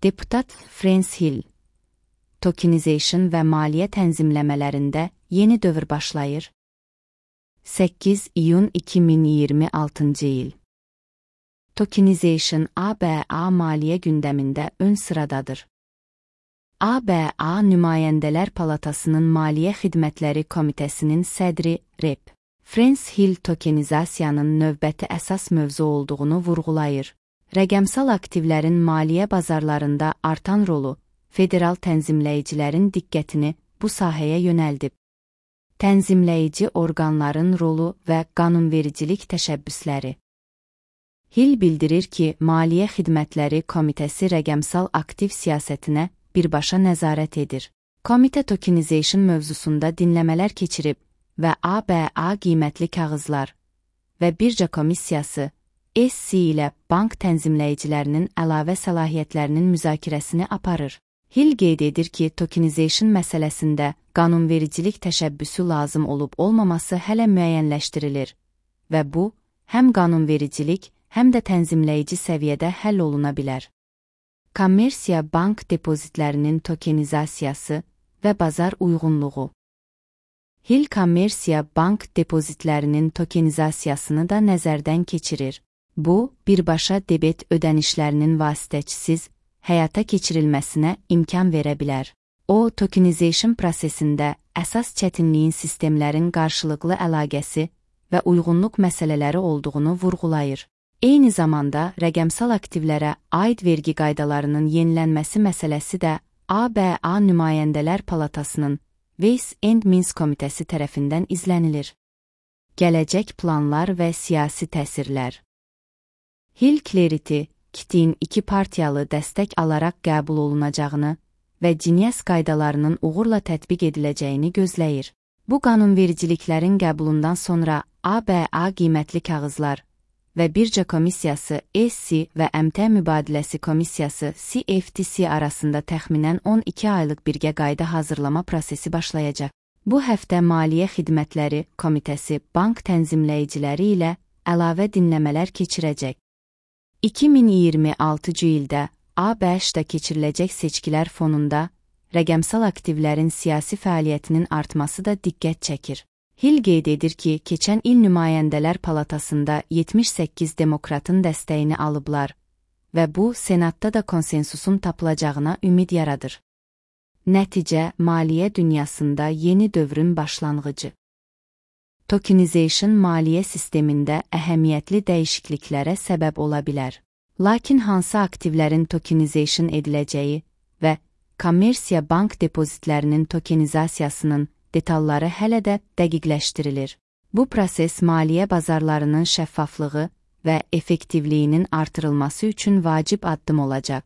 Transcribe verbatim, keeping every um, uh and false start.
Deputat Frans Hill, tokenization və maliyyə tənzimləmələrində yeni dövr başlayır. səkkiz iyun iki min iyirmi altıncı il. Tokenization A B A maliyyə gündəmində ön sıradadır. A B A Nümayəndələr Palatasının Maliyyə Xidmətləri Komitəsinin sədri Rep. Frans Hill tokenizasiyanın növbəti əsas mövzu olduğunu vurğulayır. Rəqəmsal aktivlərin maliyyə bazarlarında artan rolu, federal tənzimləyicilərin diqqətini bu sahəyə yönəldib. Tənzimləyici orqanların rolu və qanunvericilik təşəbbüsləri. Hill bildirir ki, Maliyyə Xidmətləri Komitəsi rəqəmsal aktiv siyasətinə birbaşa nəzarət edir. Komitə tokenization mövzusunda dinləmələr keçirib və A B A qiymətli kağızlar və birja komissiyası S C ilə bank tənzimləyicilərinin əlavə səlahiyyətlərinin müzakirəsini aparır. Hill qeyd edir ki, tokenization məsələsində qanunvericilik təşəbbüsü lazım olub-olmaması hələ müəyyənləşdirilir və bu, həm qanunvericilik, həm də tənzimləyici səviyyədə həll oluna bilər. Kommersiya bank depozitlərinin tokenizasiyası və bazar uyğunluğu. Hill kommersiya bank depozitlərinin tokenizasiyasını da nəzərdən keçirir. Bu, birbaşa debet ödənişlərinin vasitəçisiz həyata keçirilməsinə imkan verə bilər. O, tokenization prosesində əsas çətinliyin sistemlərin qarşılıqlı əlaqəsi və uyğunluq məsələləri olduğunu vurğulayır. Eyni zamanda, rəqəmsal aktivlərə aid vergi qaydalarının yenilənməsi məsələsi də A B A Nümayəndələr Palatasının Ways and Means Komitəsi tərəfindən izlənilir. Gələcək planlar və siyasi təsirlər. Hill Clarity, Kitin iki partiyalı dəstək alaraq qəbul olunacağını və Genius qaydalarının uğurla tətbiq ediləcəyini gözləyir. Bu qanunvericiliklərin qəbulundan sonra A B A qiymətli kağızlar və birja komissiyası S C və əmtəə mübadiləsi komissiyası C F T C arasında təxminən on iki aylıq birgə qayda hazırlama prosesi başlayacaq. Bu həftə Maliyyə Xidmətləri Komitəsi bank tənzimləyiciləri ilə əlavə dinləmələr keçirəcək. iki min iyirmi altıncı ildə A B Ş-da keçiriləcək seçkilər fonunda rəqəmsal aktivlərin siyasi fəaliyyətinin artması da diqqət çəkir. Hill qeyd edir ki, keçən il Nümayəndələr Palatasında yetmiş səkkiz demokratın dəstəyini alıblar və bu, Senatda da konsensusun tapılacağına ümid yaradır. Nəticə, maliyyə dünyasında yeni dövrün başlanğıcı. Tokenization maliyyə sistemində əhəmiyyətli dəyişikliklərə səbəb ola bilər. Lakin hansı aktivlərin tokenization ediləcəyi və kommersiya bank depozitlərinin tokenizasiyasının detalları hələ də dəqiqləşdirilir. Bu proses maliyyə bazarlarının şəffaflığı və effektivliyinin artırılması üçün vacib addım olacaq.